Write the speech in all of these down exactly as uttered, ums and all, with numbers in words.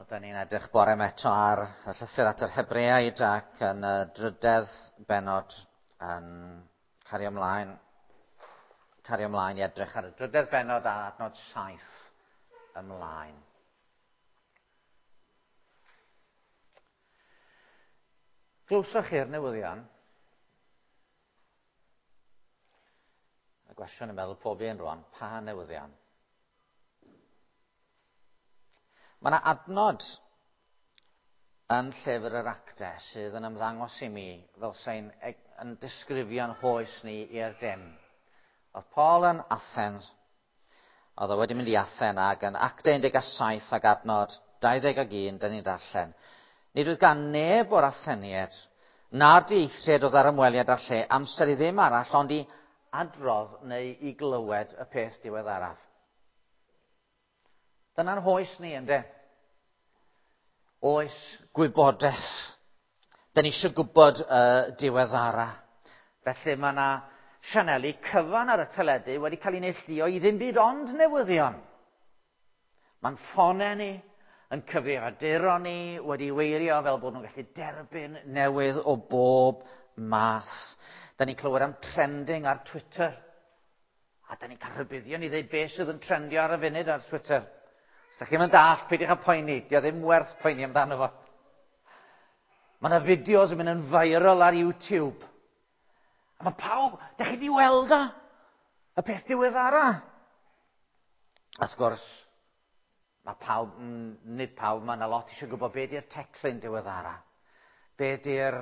Oedden ni'n edrych bore yma eto ar y llythyr at yr Hebreaid ac yn y drydedd bennod yn cario ymlaen, cario ymlaen i edrych ar y drydedd bennod a adnod saith ymlaen. Glywsoch chi'r newyddion? Y gwestiwn yn meddwl pob un rwan, pa newyddion? Mae yna adnod yn llyfr yr Actau sydd yn ymddangos i mi fel sy'n yn disgrifio'n hoes ni i'r dim. Oedd Paul yn Athens, oedd o wedi mynd i Athen ac yn Actau un deg saith ac adnod dau ddeg ac un, dyn ni'n darllen. Nid oedd gan neb o'r Atheniaid na'r dieithriaid oedd ar ymweliad â'r lle amser i ddim arall ond i adrodd neu i glywed y peth diweddaraf. Dyna'n hoes ni, ynddo? Oes gwybodaeth. Dyn ni eisiau gwybod y uh, diweddara. Felly mae yna sianeli cyfan ar y teledu wedi cael ei neilltuo i ddim byd ond newyddion. Mae'n ffonau ni, yn cyfrifiaduron ni, wedi weirio fel bod nhw'n gallu derbyn newydd o bob math. Dyn ni'n clywed am trending ar Twitter. A dyn ni'n cael rhybuddion i ddweud beth sydd yn trendio ar y funud ar Twitter. Os ydych chi'n dallt, peidiwch â poeni. Dio ddim werth poeni amdano fo. Mae yna fideos yn mynd yn viral ar YouTube. A mae pawb, ydych chi wedi weld o? Y peth diweddara. Wrth gwrs, mae pawb, nid pawb, mae yna lot eisiau gwybod be di'r teclyn diweddara. Be di'r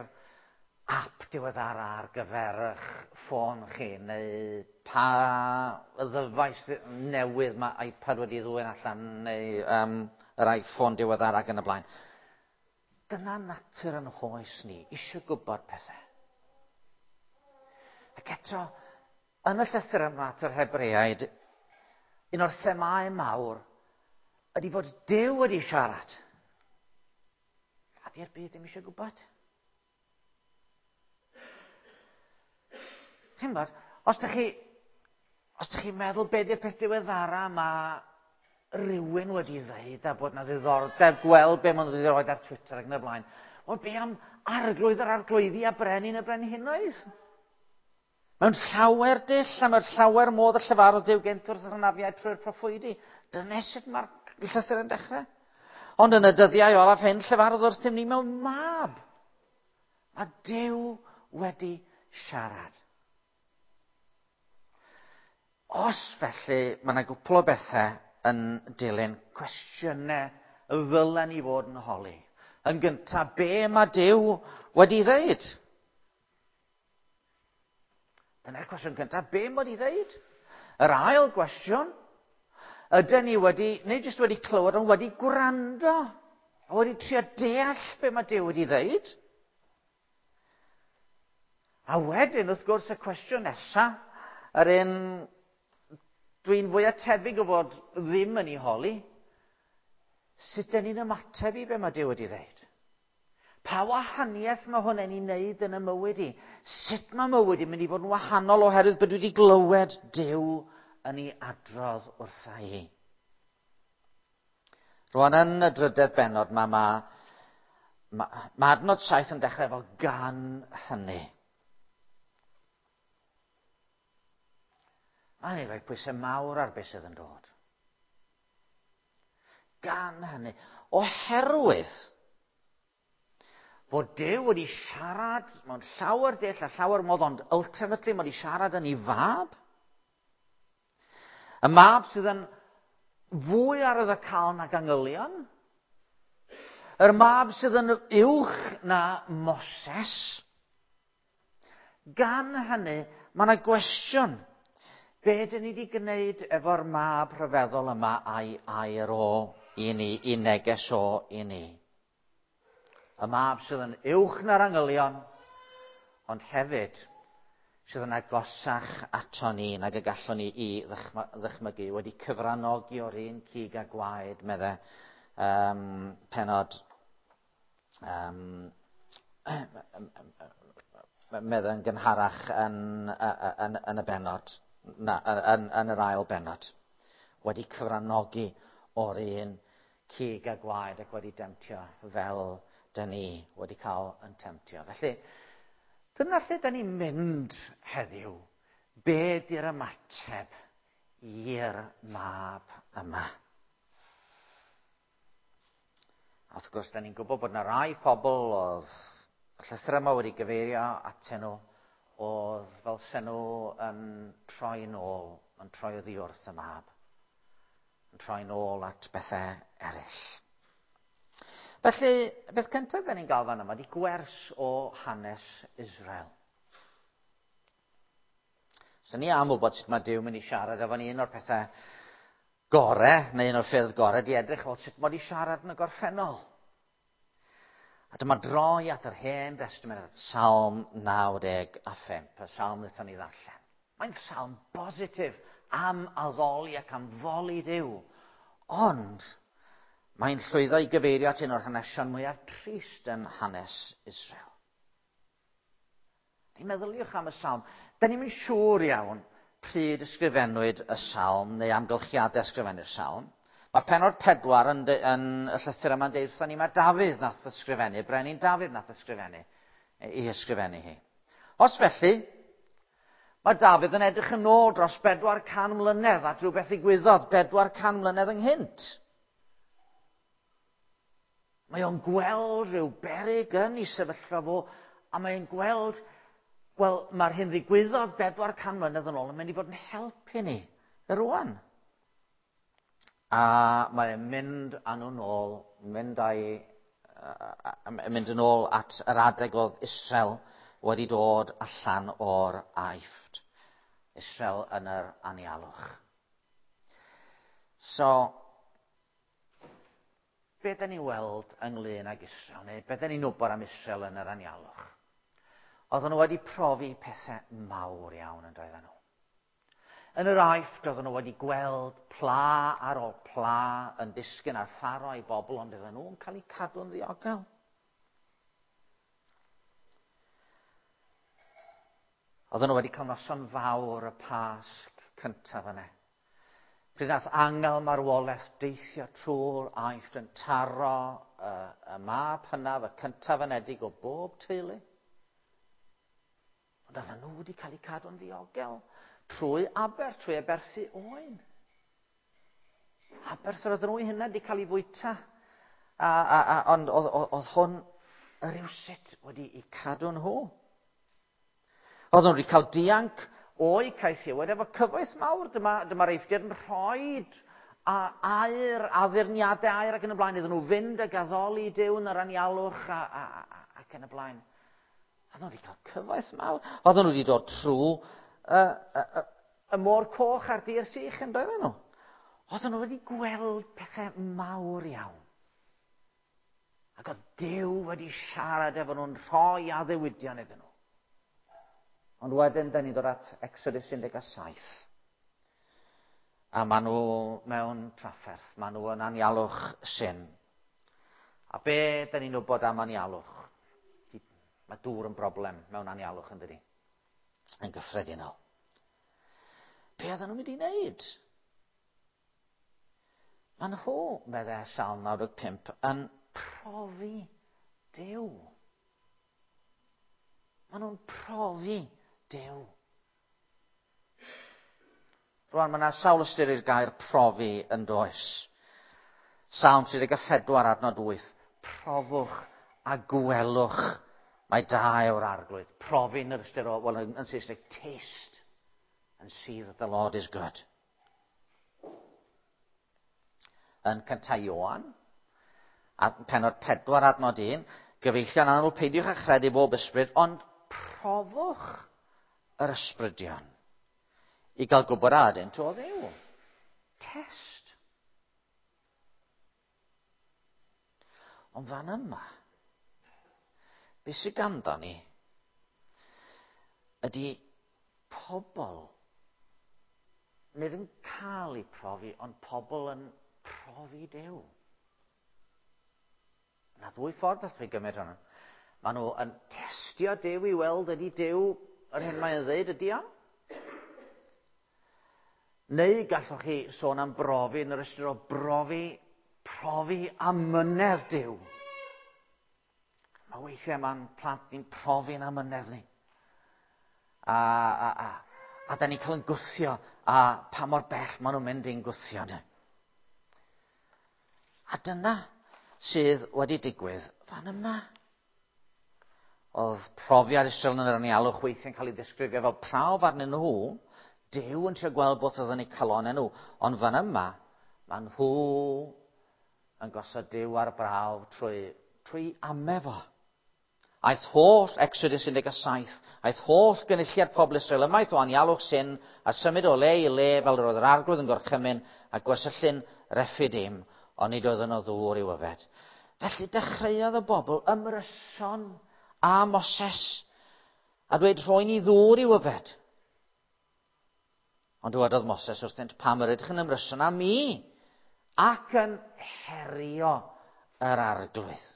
app diweddara ar gyfer eich ffôn chi, neu pa ddyfais newydd mae iPad wedi ddwyn allan, neu um, yr iPhone diweddara ac yn y blaen. Dyna natur yn hoes ni, eisiau gwybod pethau. Ac eto, yn y llythyr yma at yr Hebreaid, un o'r themâu mawr ydy fod Duw wedi siarad. A di'r byd ddim eisiau gwybod. Chi'n gwybod, os ydych chi, os ydych chi'n meddwl be di'r peth diweddara mae rhywun wedi ddeud a bod na ddiddordeb gweld be maen nhw wedi rhoi ar Twitter ac yn y blaen, wel be am arglwydd yr arglwyddi a brenin y brenhinoedd? Mewn llawer dull a mewn llawer modd y llefarodd Duw gynt wrth yr hynafiaid trwy'r proffwydi. Dyna sut mae'r llythyr yn dechrau. Ond yn y dyddiau olaf hyn, llefarodd wrthym ni mewn mab. Mae Duw wedi siarad. Os felly, mae yna gwpl o bethau yn dilyn cwestiynau ddylen ni fod yn holi. Yn gyntaf, be mae Duw wedi ddeud? Dyna'r cwestiwn cyntaf, be mae wedi ddeud? Yr ail gwestiwn, ydyn ni wedi, neu jyst wedi clywed, ond wedi gwrando, a wedi trio deall be mae Duw wedi ddeud? A wedyn, wrth gwrs, y cwestiwn nesaf, yr un dwi'n fwyaf tebyg o fod ddim yn ei holi, sut dyn ni'n ymateb i be mae Duw wedi ddeud? Pa wahaniaeth mae hwn yn ei wneud yn y mywyd i? Sut mae mywyd i'n mynd i fod yn wahanol oherwydd bod dwi wedi glywed Duw yn ei adrodd wrtha i? Rwan yn y drydedd bennod mae, mae, mae, mae adnod saith yn dechrau efo gan hynny. Mae'n ei roi pwysau mawr ar beth sydd yn dod. Gan hynny, oherwydd fod Duw wedi siarad mewn llawer dull a llawer modd, ond ultimately mae wedi siarad yn ei fab. Y mab sydd yn fwy arwyddocaol nag angylion. Yr mab sydd yn uwch na Moses. Gan hynny, mae yna gwestiwn. Be dyn ni wedi gwneud efo'r mab rhyfeddol yma a'i air o i ni, i neges o i ni? Y mab sydd yn uwch na'r angylion, ond hefyd sydd yn agosach ato ni nag y gallwn ni i ddychmygu, wedi cyfranogi o'r un cig a gwaed, medde um, penod, um, medde yn gynharach yn, yn, yn y bennod, na, yn, yn yr ail bennod, wedi cyfranogi o'r un cig a gwaed ac wedi demtio fel dyn ni wedi cael yn temtio. Felly, dyna lle dyn ni'n mynd heddiw. Be di'r ymateb i'r mab yma? A wrth gwrs, da ni'n gwybod bod yna rai pobl oedd y llythyr yma wedi gyfeirio atyn nhw, oedd fel sen nhw yn troi nôl, yn troi oddi wrth y mab, yn troi nôl at bethau eraill. Felly, beth cyntaf da ni'n gael fan yma ydy gwers o hanes Israel. So ni am wybod sut mae Duw mynd i siarad efo ni. Un o'r pethau gore, neu un o'r ffyrdd gore, di edrych fel sut mae wedi siarad yn y gorffennol. A dyma droi at yr Hen Destament, at Salm naw deg a phump, y salm wnaethon ni ddarllen. Mae'n salm bositif am addoli ac am foli Duw. Ond mae'n llwyddo i gyfeirio at un o'r hanesion mwyaf trist yn hanes Israel. Di meddyliwch am y salm. Da ni'm yn siŵr iawn pryd ysgrifennwyd y salm neu amgylchiadau ysgrifennu'r salm. Mae pennod pedwar yn, de, yn y llythyr yma'n deud wrthon ni mae Dafydd nath ysgrifennu, brenin Dafydd nath ysgrifennu, i ysgrifennu hi. Os felly, mae Dafydd yn edrych yn ôl dros bedwar can mlynedd at rhywbeth ddigwyddodd bedwar can mlynedd ynghynt. Mae o'n gweld rhyw beryg yn ei sefyllfa fo, a mae'n gweld, wel, mae'r hyn ddigwyddodd bedwar can mlynedd yn ôl yn mynd i fod yn helpu ni rwan. A mae'n mynd â nhw'n ôl, mynd, â'i, mynd yn ôl at yr adeg oedd Israel wedi dod allan o'r Aifft. Israel yn yr anialwch. So, be da ni'n weld ynglyn ag Israel, neu be da ni'n wybod am Israel yn yr anialwch? Oedden nhw wedi profi pethau mawr iawn yn doedden nhw. Yn yr Aifft, oedden nhw wedi gweld pla ar ôl pla yn disgyn ar Pharo a'i bobl, ond oedden nhw'n cael eu cadw'n ddiogel. Oedden nhw wedi cael noson fawr y Pasg cyntaf yna. Pryd nath angel marwolaeth deithio trwy'r Aifft yn taro y, y mab hynaf, y cyntaf anedig o bob teulu. Ond oedden nhw wedi cael eu cadw'n ddiogel trwy aber, trwy aberthu oen. Aberth yr oedden nhw hynna wedi cael ei fwyta. A, a, a, ond oedd, oedd hwn rywsut wedi eu cadw nhw. Oedden nhw wedi cael dianc o'i caethiwed efo cyfoeth mawr. Dyma, dyma'r Eifftiaid yn rhoi a aur, addurniadau aur ac yn y blaen. Iddyn nhw fynd ag addoli Duw yn yr anialwch a, a, a, ac yn y blaen. Oedden nhw wedi cael cyfoeth mawr. Oedden nhw wedi dod trwy y, y, y, y môr coch a'r dir sych yn doedden nhw. Oedden nhw wedi gweld pethau mawr iawn. Ac oedd Duw wedi siarad efo nhw'n rhoi addewidion iddyn nhw. Ond wedyn, da ni'n dod at Exodus un deg saith. A maen nhw mewn trafferth, maen nhw yn anialwch Sin. A be da ni'n wybod am anialwch? Mae dŵr yn broblem mewn anialwch, yn dydi? Yn gyffredinol. Be oedden nhw'n mynd i wneud? Maen nhw, meddai Salm naw deg pump, yn profi Duw. Maen nhw'n profi Duw. Rwan, mae yna sawl ystyr i'r gair profi yn does. Salm tri deg pedwar adnod wyth. Profwch a gwelwch mae da yw'r arglwydd. Profi yn yr ystyr o, wel, yn Saesneg, taste and see that the Lord is good. Yn cyntaf Ioan, pennod pedwar adnod un, gyfeillion annwyl, peidiwch â chredu bob ysbryd, ond profwch yr ysbrydion i gael gwybod a ydynt o Dduw. Test. Ond fan yma, beth sydd ganddo ni ydy pobl nid yn cael eu profi, ond pobl yn profi Duw. Yna ddwy ffordd allwch chi gymryd hwnna. Maen nhw yn testio Duw i weld ydy Duw yr hyn mae'n dweud ydy o. Neu gallwch chi sôn am brofi yn yr ystyr o brofi Profi amynedd Duw. Mae weithiau mae'n plant ni'n profi'n amynedd ni. A, a, a, a da ni'n cael yn gwthio, a pa mor bell maen nhw'n mynd i'n gwthio ni. A dyna sydd wedi digwydd fan yma. Oedd profiad Israel yn yr anialwch weithiau'n cael ei ddisgrifio fel prawf arnyn nhw. Duw yn trio gweld beth oedd yn eu calonau nhw. Ond fan yma, mae nhw yn gosod Duw ar brawf trwy, trwy ame fo. Aeth holl, Exodus un deg saith, aeth holl gynulliad pobl Israel ymaith o anialwch Sin a symud o le i le fel yr oedd yr arglwydd yn gorchymyn a gwersyllyn Rephidim, ond nid oedd yno ddŵr i'w yfed. Felly dechreuodd y bobl ymryson a Moses a dweud rhoi ni ddŵr i'w yfed. Ond dywedodd Moses wrthynt, pam yr ydych yn ymryson â mi ac yn herio yr arglwydd.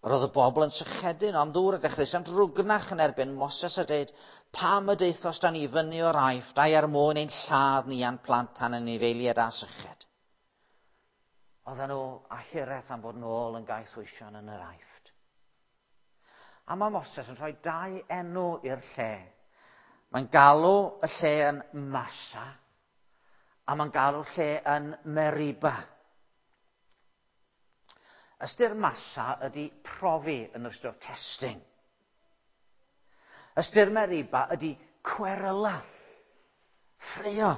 Roedd y bobl yn sychedu am ddŵr a dechreuasant rwgnach yn erbyn Moses a dweud, pam y daethost â ni fyny o'r Aifft, ai er mwyn ein lladd ni a'n plant a'n anifeiliaid a syched. Oedden nhw a hiraeth am fod nôl yn gaethweision yn yr Aifft. A mae Moses yn rhoi dau enw i'r lle. Mae'n galw y lle yn Massa, a mae'n galw'r lle yn Meriba. Ystyr Massa ydy profi yn ystyr testing. Ystyr Meriba ydy cweryla, ffraeo.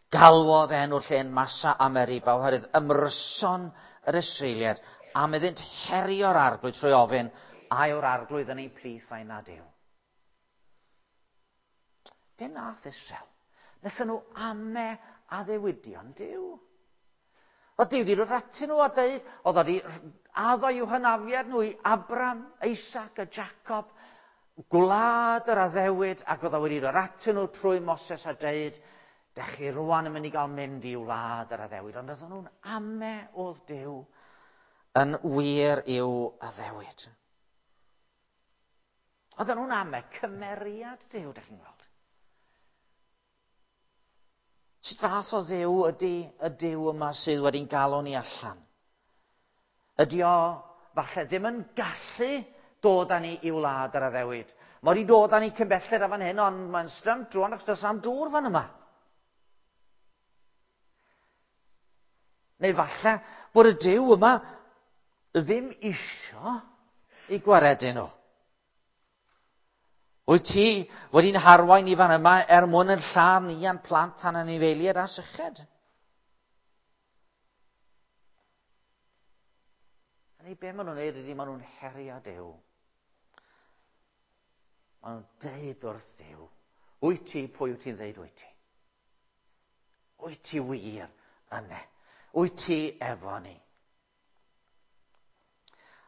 Galwodd enw'r lle'n Massa a Meriba oherwydd ymryson yr Israeliaid am iddynt herio'r arglwydd trwy ofyn, a yw'r arglwydd yn ein plith a'i nad yw. Be nath Israel? Nethon nhw ame addewidion Duw. Oedd Duw wedi dod atyn nhw a dweud, oedd wedi addo i'w hynafiad nhw i Abram, Isaac a Jacob, gwlad yr addewid, ac oedd o wedi dod atyn nhw trwy Moses a dweud, dech chi rwan yn mynd i gael mynd i wlad yr addewid. Ond oedden nhw'n ame oedd Duw yn wir i'w addewid. Oedden nhw'n ame cymeriad Duw, dech chi'n gweld. Sut fath o Dduw ydy y Duw yma sydd wedi'n galw ni allan? Ydy o falle ddim yn gallu dod â ni i wlad yr addewid. Mae wedi dod â ni cyn belled a fan hyn, ond mae'n strymt drwan achos does am dŵr fan yma. Neu falle bod y Duw yma ddim isio i gwaredu nhw. Wyt ti wedi'n harwain i fan yma er mwyn yn lladd ni a'n plant a'n anifeiliaid a syched? A neu be maen nhw'n neud ydy maen nhw'n herio Duw. Maen nhw'n deud wrth Dduw, wyt ti pwy wyt ti'n ddeud wyt ti? Wyt ti wir yna? Wyt ti efo ni?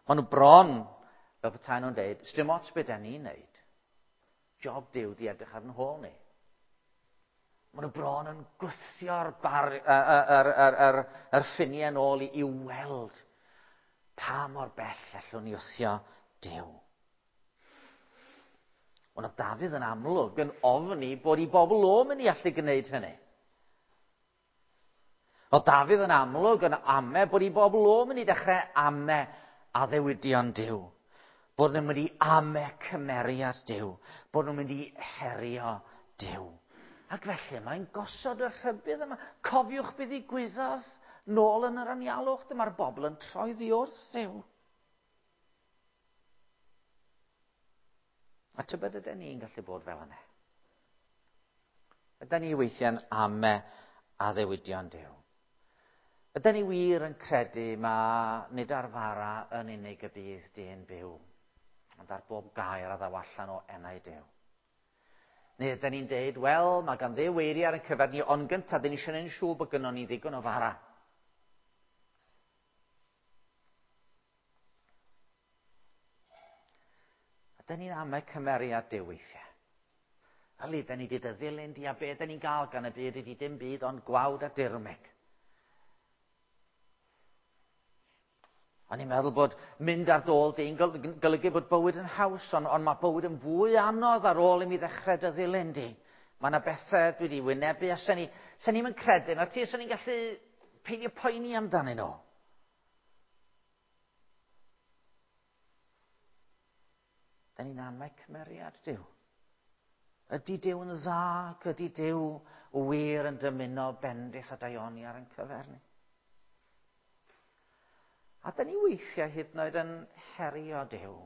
Maen nhw bron, fel petai nhw'n deud, sdim ots beth da ni'n neud. Job Duw di edrych ar yn hôl ni. Maen nhw bron yn gwthio'r bar, yr, yr, yr, yr, yr ffiniau yn ôl i, i weld pa mor bell allwn ni wthio Duw. Ond oedd Dafydd yn amlwg yn ofni bod i bobl o mynd i allu gwneud hynny. Oedd Dafydd yn amlwg yn ame bod i bobl o mynd i dechrau ame addewidion Duw. Bod nhw'n mynd i ame cymeriad Duw. Bod nhw'n mynd i herio Duw. Ac felly mae'n gosod y rhybudd yma. Cofiwch beth ddigwyddodd nôl yn yr anialwch. Dyma'r bobl yn troi ddi wrth Dduw. A tybed ydyn ni'n gallu bod fel yna? Ydyn ni weithiau'n ame addewidion Duw? Ydyn ni wir yn credu ma nid ar fara yn unig y bydd dyn byw, ond ar bob gair a ddaw allan o enau Duw? Neu ydyn ni'n deud, wel, mae gan Dduw eiriau ar ein cyfer ni, ond gyntaf, dyn ni eisiau gwneud yn siŵr bod gynnon ni ddigon o fara. A dyn ni'n ame cymeriad Duw weithiau. Yli, dyn ni wedi dy ddilyn di a be dyn ni'n gael gan y byd ydi dim byd ond gwawd a dirmyg. O'n i'n meddwl bod mynd ar dôl di'n golygu bod bywyd yn haws, ond, ond mae bywyd yn fwy anodd ar ôl i mi ddechrau dy ddilyn di. Mae yna bethau dwi wedi wynebu, a sen ni, sen ni'm yn credu na ti, sen ni'n gallu peidio poeni amdanyn nhw. Da ni'n amau cymeriad Duw. Ydy Duw yn dda, ac ydy Duw wir yn dymuno bendith a daioni ar ein cyfer ni? A da ni weithiau hyd yn oed yn herio Duw.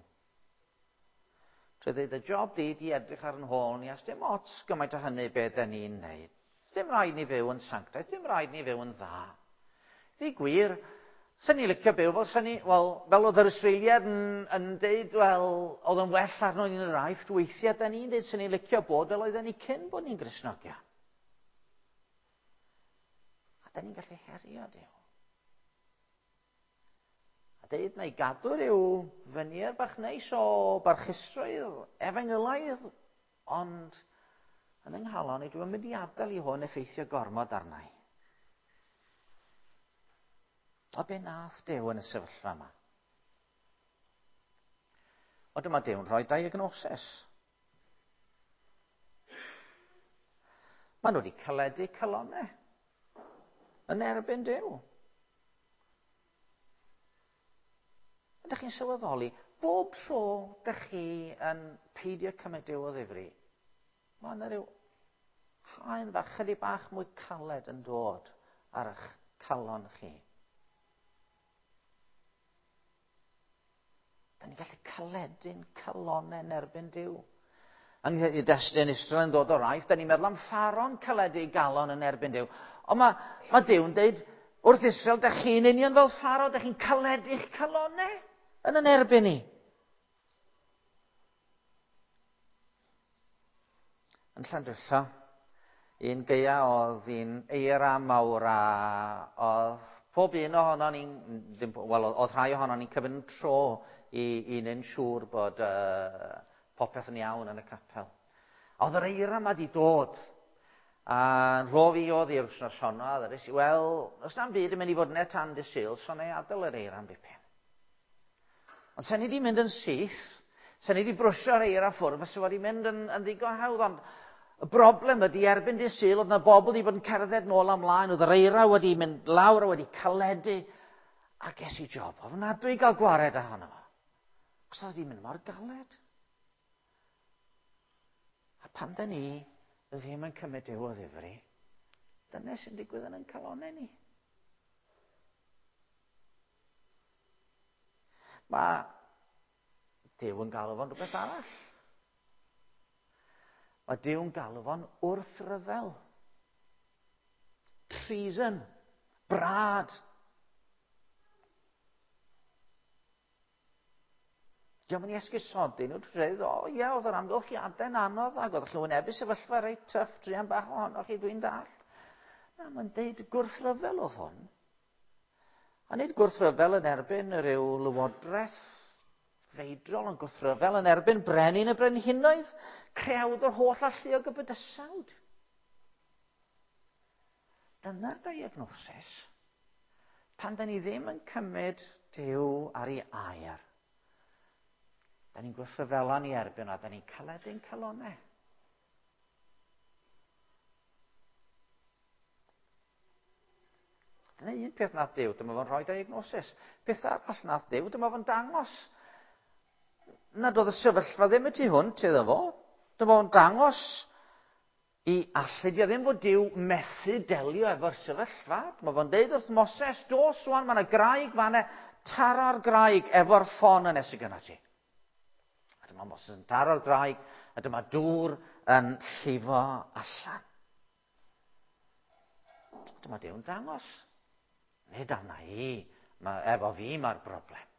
Trwy ddweud, y job di di edrych ar yn hôl ni, a dim ots gymaint o hynny be da ni'n neud. Dim rhaid ni fyw yn sanctaidd, dim rhaid ni fyw yn dda. Ddi gwir, sen ni licio byw fel sen ni, wel, fel oedd yr Israeliad yn, yn deud, wel, oedd yn well arno ni'n yr Aifft, weithiau da ni'n deud sen ni licio bod fel oedden ni cyn bod ni'n Gristnogion. A da ni'n gallu herio Duw. A deud na i gadw rhyw fynier bach neis o barchusrwydd efengylaidd, ond yn yng nghalon i dwi'n mynd i adael i hwn effeithio gormod arna i. O be nath Duw yn y sefyllfa yma? O dyma Duw'n rhoi diagnosis. Maen nhw wedi caledu calonnau yn erbyn Duw. Ydych chi'n sylweddoli, bob tro ydych chi yn peidio cymryd Duw o ddifri, mae yna rhyw haen fach, chydig bach mwy caled yn dod ar eich calon chi. Da ni'n gallu caledu'n calonnau yn erbyn Duw. Yng nghyd-destun Israel yn dod o'r Aifft, da ni'n meddwl am Ffaro'n caledu ei galon yn erbyn Duw. Ond mae, mae Duw'n deud wrth Israel, da chi'n union fel Pharaoh, da chi'n caledu'ch calonnau yn yn erbyn ni. Yn Llandrillo, un gaea oedd un eira mawr a oedd pob un ohono ni'n, wel, oedd rhai ohono ni'n cymryd yn tro i, i wneud yn siŵr bod uh, popeth yn iawn yn y capel. A oedd yr eira yma di dod. A rho fi oedd i'r wythnos honno, a ddweud i, wel, os na'm byd yn mynd i fod yn e tan dy Sul, so na i adael yr eira am dipyn. Ond sen ni di mynd yn syth, sen ni di brwsio'r eira ffwrdd, fysa wedi mynd yn, yn ddigon hawdd, ond y broblem ydy erbyn dy Sul, oedd na bobl wedi bod yn cerdded nôl ymlaen, oedd yr eira wedi mynd lawr a wedi caledu, a ges i job ofnadwy i gael gwared ohono fo. Cos oedd wedi mynd mor galed. A pan da ni ddim yn cymryd Duw o ddifri, dyna sy'n digwydd yn ein calonnau ni. Mae Duw yn galw fo'n rhywbeth arall. Mae Duw yn galw fo'n wrthryfel. Treason. Brad. Diolch yn esgusodi nhw, dwi'n dweud, o ie, oedd yr amgylchiadau'n anodd ac oedd chi'n wynebu sefyllfa reit tyff, druan bach ohonoch chi, dwi'n dallt. Na, mae'n deud gwrthryfel oedd hwn. A nid gwrthryfel yn erbyn rhyw lywodraeth feidrol, ond gwrthryfel yn erbyn brenin y brenhinoedd, creawd o'r holl alluog y bydysawd. Dyna'r diagnosis. Pan da ni ddim yn cymryd Duw ar ei air, da ni'n gwrthryfela ni erbyn a da ni'n caledu'n calonnau. Dyna un peth nath Duw, dyma fo'n rhoi diagnosis. Peth arall nath Duw, dyma fo'n dangos nad oedd y sefyllfa ddim y tu hwnt iddo fo. Dyma fo'n dangos i allu, dio ddim fod Duw methu delio efo'r sefyllfa. Dyma fo'n deud wrth Moses, dos rwan, mae yna graig fan'na, tara'r graig efo'r ffon yn nes i gynna ti. A dyma Moses yn taro'r graig, a dyma dŵr yn llifo allan. Dyma Duw'n dangos. Nid arna i, ma, efo fi mae'r broblem.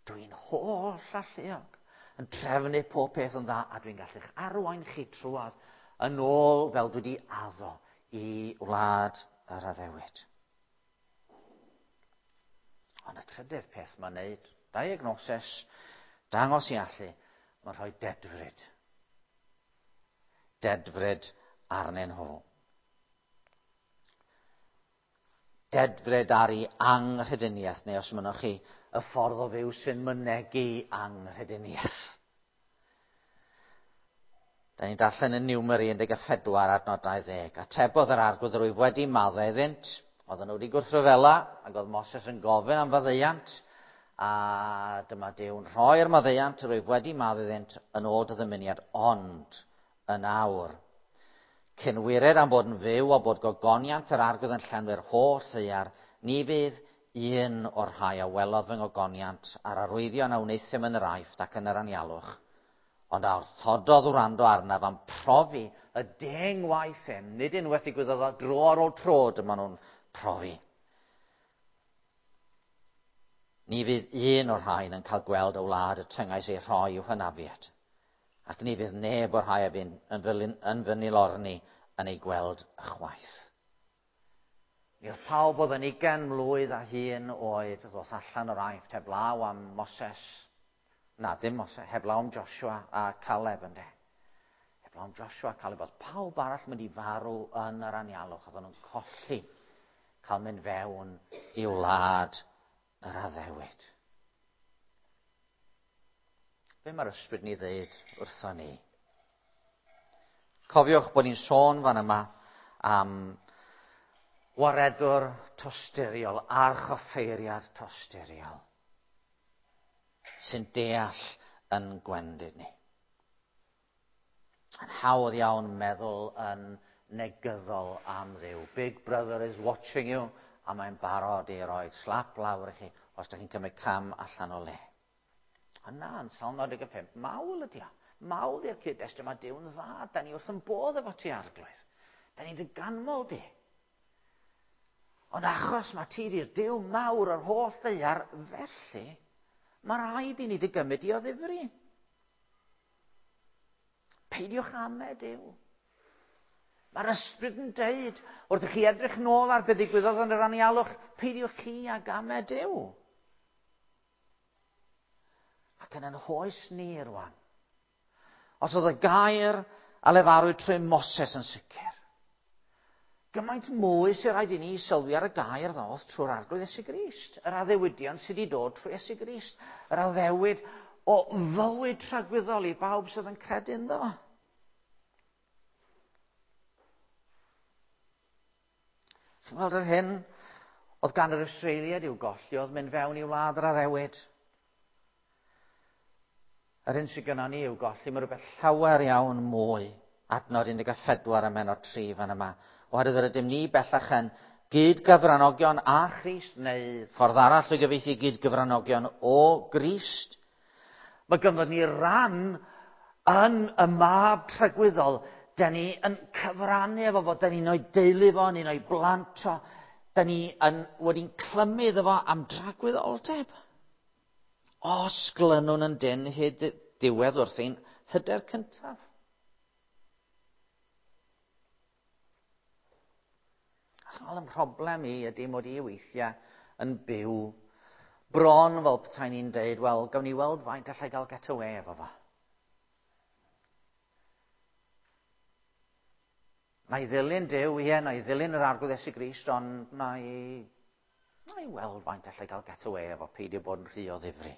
Dwi'n holl alluog yn trefnu pob peth yn dda, a dwi'n gallu'ch arwain chi trwadd yn ôl fel dwi wedi addo i wlad yr addewid. Ond y trydydd peth mae'n neud, diagnosis, dangos i allu, mae'n rhoi dedfryd. Dedfryd arnyn nhw. Dedfryd ar ei anghrediniaeth, neu os mynnwch chi, y ffordd o fyw sy'n mynegi anghrediniaeth. Da ni'n darllen yn Niwmeri un deg pedwar adnod dau ddeg. Atebodd yr Arglwydd, rwyf wedi maddau iddynt. Oedden nhw wedi gwrthryfela, ac oedd Moses yn gofyn am faddeuant, a dyma Duw'n rhoi'r maddeuant, rwyf wedi maddau iddynt yn ôl dy ddymuniad, ond yn awr. Cyn wired am bod yn fyw a bod gogoniant yr Arglwydd yn llenwi'r holl ddaear, ni fydd un o'r rhai a welodd fy ngogoniant a'r arwyddion a wneuthum yn yr Aifft ac yn yr anialwch, ond a wrthododd wrando arnaf am profi y deng waith hyn, nid unwaith ddigwyddodd o, dro ar ôl tro dyma nhw'n profi. Ni fydd un o'r rhain yn cael gweld y wlad y tyngais ei rhoi i'w hynafiad, ac ni fydd neb o'r rhai a fu'n yn fy nilorni yn ei gweld ychwaith. Mi oedd pawb oedd yn ugain mlwydd a hun oed ddoth allan o'r Aifft heblaw am Moses. Na, dim Moses, heblaw am Joshua a Caleb ynde. Heblaw am Joshua a Caleb, oedd pawb arall mynd i farw yn yr anialwch, oedden nhw'n colli cael mynd fewn i wlad yr addewid. Be mae'r ysbryd ni ddeud wrtho ni? Cofiwch bod ni'n sôn fan yma am waredwr tosturiol, archoffeiriad tosturiol, sy'n deall yn gwendid ni. Yn hawdd iawn meddwl yn negyddol am Dduw. Big brother is watching you, a mae'n barod i roi slap lawr i chi os ydych chi'n cymryd cam allan o le. A na, yn Salm naw deg pump, mawl ydi o. Mawl i'r cyd-destun, mae Duw'n dda, da ni wrth yn bodd efo ti, Arglwydd. Da ni'n dy ganmol di. Ond achos mae ti di'r Duw mawr o'r holl ddaear, felly mae rhaid i ni dy gymryd i o ddifri. Peidiwch ame Duw. Mae'r ysbryd yn deud, wrth i chi edrych nôl ar beth ddigwyddodd yn yr anialwch, peidiwch chi ag ame Duw. Ac yn yn hoes ni rwan, os oedd y gair a lefarwyd trwy Moses yn sicr, gymaint mwy sy'n rhaid i ni sylwi ar y gair ddoth trwy'r Arglwydd Iesu Grist, yr addewidion sydd wedi dod trwy Iesu Grist, yr addewid o fywyd tragwyddol i bawb sydd yn credu ynddo. Chi'n gweld yr hyn oedd gan yr Israeliaid i'w golli oedd mynd fewn i wlad yr addewid. Yr hyn sydd gynnon ni i'w golli, mae rhywbeth llawer iawn mwy. Adnod un deg pedwar a mennod tri fan yma. Oherwydd yr ydym ni bellach yn gyd-gyfranogion â Christ, neu ffordd arall o gyfieithu gyd-gyfranogion o Grist. Mae ganddo ni ran yn y mab tragwyddol. Da ni yn cyfrannu efo fo, da ni'n o'i deulu fo, ni'n o'i blant o, da ni yn wedi'n clymu iddo fo am dragwyddoldeb. Os glynwn yn dyn hyd diwedd wrth ein hyder cyntaf. Wel, y mhroblem i ydy mod i weithiau yn byw bron fel petai ni'n deud, wel, gawn ni weld faint allai gael get away efo fo. Na i ddilyn Duw, ie, na i ddilyn yr Arglwydd Iesu Grist, ond na i, na i weld faint allai gael get away efo, peidio bod yn rhy o ddifri.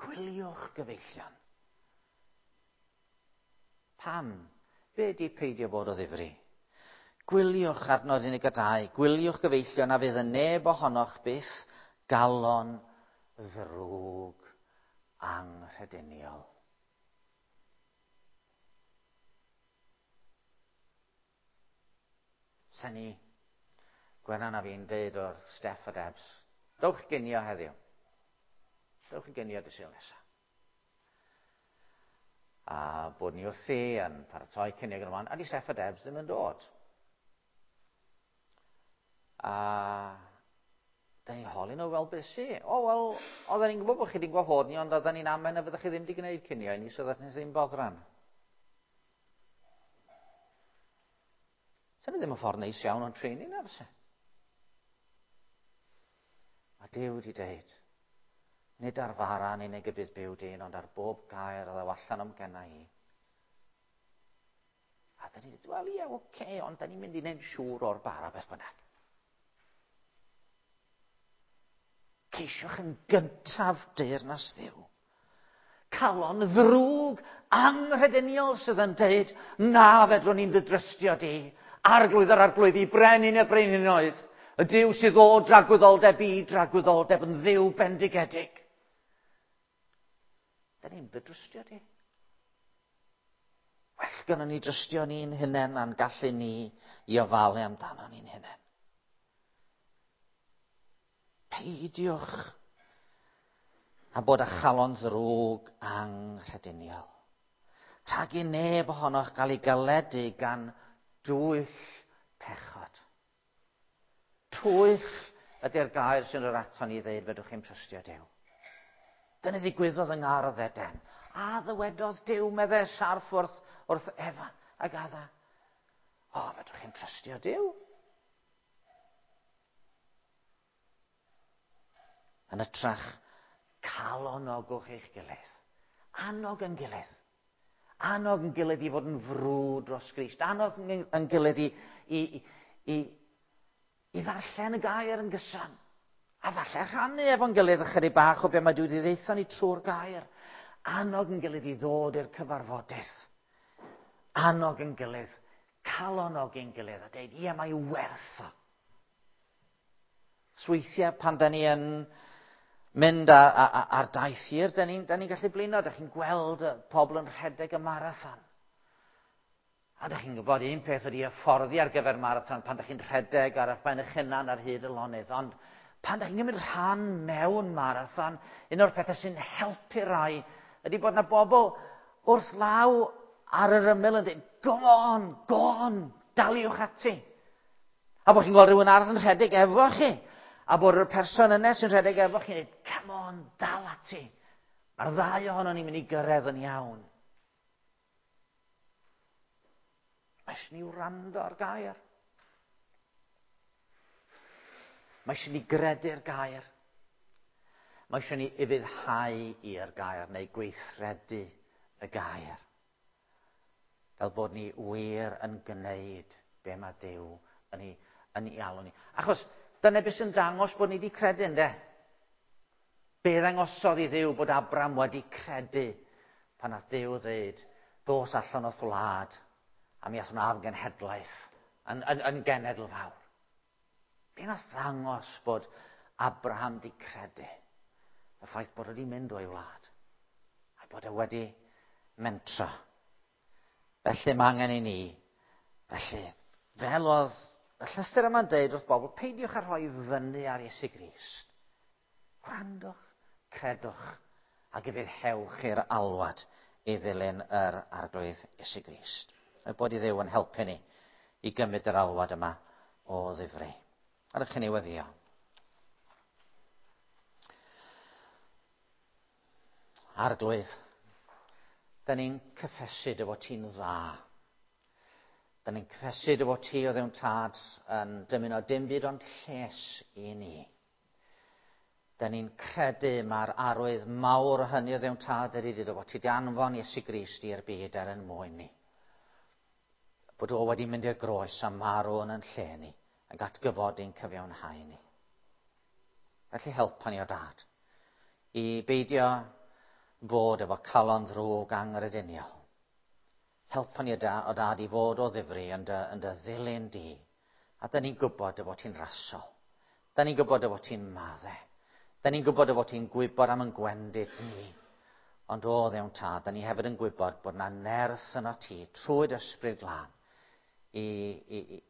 Gwyliwch, gyfeillion. Pam? Be di peidio bod o ddifri? Gwyliwch adnod un deg dau, gwyliwch gyfeillion a fydd y neb ohonoch byth galon ddrwg anghrediniol. Sen ni, Gwenan a fi'n deud o'r Steff a Debs, dowch ginio heddiw. Dowch i ginio dy Sul nesaf. A bod ni wrthi yn paratoi cinio gyda man, a di Steff a Debs ddim yn dod. A da ni'n holi nhw, wel, beth sy? O, wel, oedden ni'n gwybod bod chi wedi gwahodd ni, ond oedden ni'n amen a fyddech chi ddim wedi gwneud cinio i ni, so oedden ni ddim boddran. Sy'n ddim yn ffordd neis iawn o'n trin ni na, fyse? Mae Duw wedi deud, nid ar fara yn unig y bydd byw dyn, ond ar bob gair a ddaw allan o'm genna i. A da ni'n dweud, wel ie, oce, okay, ond da ni'n mynd i wneud siŵr o'r bara beth bynnag. Ceisiwch yn gyntaf deyrnas Dduw. Calon ddrwg anghrediniol sydd yn deud, na fedrwn ni'n dy drystio di. Arglwydd yr arglwyddi, brenin y brenhinoedd. Y Duw sydd o dragwyddoldeb i dragwyddoldeb yn Dduw bendigedig. Da ni'n dy drystio di. Well gynnon ni drystio ni'n hunain a'n gallu ni i ofalu amdano ni'n hunain. Peidiwch a bod â chalon ddrwg anghrediniol. Rhag i neb ohonoch gael ei galedu gan dwyll pechod. Twyll ydy'r gair sy'n yr aton ni ddeud fedrwch chi'n trystio Duw. Dyna ddigwyddodd yng Ngardd Eden. A ddywedodd Duw, meddai sarff wrth, wrth Efa ac Adda. O, fedrwch chi'n trystio Duw. Yn ytrach, calonogwch eich gilydd. Annog yn gilydd. Annog yn gilydd i fod yn frwd dros Grist. Annog yn gilydd i, i, i, i ddarllen y gair yn gyson. A falle rhannu efo'n gilydd ychydig bach o be mae Duw wedi ddeutho ni trwy'r gair. Annog yn gilydd i ddod i'r cyfarfodydd. Annog yn gilydd, calonogi'n gilydd a deud, ie, mae werth o. Weithiau pan da ni yn mynd a, a, a, ar daith hir, da ni'n ni gallu blino. Da chi'n gweld pobl yn rhedeg y marathon. A da chi'n gwybod un peth ydy hyfforddi ar gyfer marathon pan da chi'n rhedeg ar eich ben eich hunan ar hyd y lonydd. Ond pan da chi'n gymryd rhan mewn marathon, un o'r pethau sy'n helpu rai ydy bod yna bobl wrth law ar yr ymyl yn dweud, go on, go on, daliwch ati. A bod chi'n gweld rhywun arall yn rhedeg efo chi. A bod y person yna sy'n rhedeg efo chi'n dweud, come on, dal ati. Mae'r ddau ohono ni'n mynd i gyrraedd yn iawn. Mae eisiau ni wrando ar gair. Mae eisiau ni gredu'r gair. Mae eisiau ni ufuddhau i'r gair neu gweithredu y gair. Fel bod ni wir yn gwneud be mae Duw yn ei, yn ei alw ni. Achos dyna beth sy'n dangos bod ni wedi credu, ynde? Be ddangosodd i Dduw bod Abraham wedi credu pan nath Duw ddeud, dos allan o'th wlad, a mi ath hwnna am genhedlaeth, yn, yn, yn genedl fawr. Be nath ddangos bod Abraham wedi credu? Y ffaith bod wedi mynd o'i wlad, a bod e wedi mentro. Felly mae angen i ni, felly, fel oedd y llythyr yma'n deud wrth bobl, peidiwch â rhoi fyny ar Iesu Grist. Gwrandwch, credwch, ac ufuddhewch i'r alwad i ddilyn yr Arglwydd Iesu Grist. Mae bod i Dduw yn helpu ni i gymryd yr alwad yma o ddifri. A ydych chi'n ei weddio. Arglwydd, da ni'n cyffesu dy fod ti'n dda. Da ni'n cyffesu dy fod ti o Dduw Tad yn dymuno dim byd ond lles i ni. Da ni'n credu mae'r arwydd mawr o hynny o Dduw Tad ydy dy fod ti 'di anfon Iesu Grist i'r byd er yn mwyn ni. Bod o wedi mynd i'r groes a marw yn yn lle ni, ac atgyfodi'n cyfiawnhau ni. Felly helpa ni o Dad i beidio bod efo calon ddrwg anghrediniol. Helpa ni o Dad i fod o ddifri yn dy, yn dy ddilyn di. A da ni'n gwybod dy fod ti'n rasol. Da ni'n gwybod dy fod ti'n madde. Da ni'n gwybod dy fod ti'n gwybod am yn gwendid ni. Ond o Dduw Tad, da ni hefyd yn gwybod bod na nerth yno ti trwy dy Ysbryd Glân i, i, i,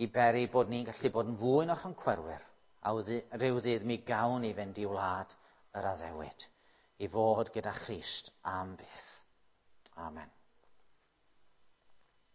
i beri bod ni'n gallu bod yn fwy na choncwerwyr. A rhyw ddydd mi gawn ni fynd i wlad yr addewid, i fod gyda Christ am byth. Amen.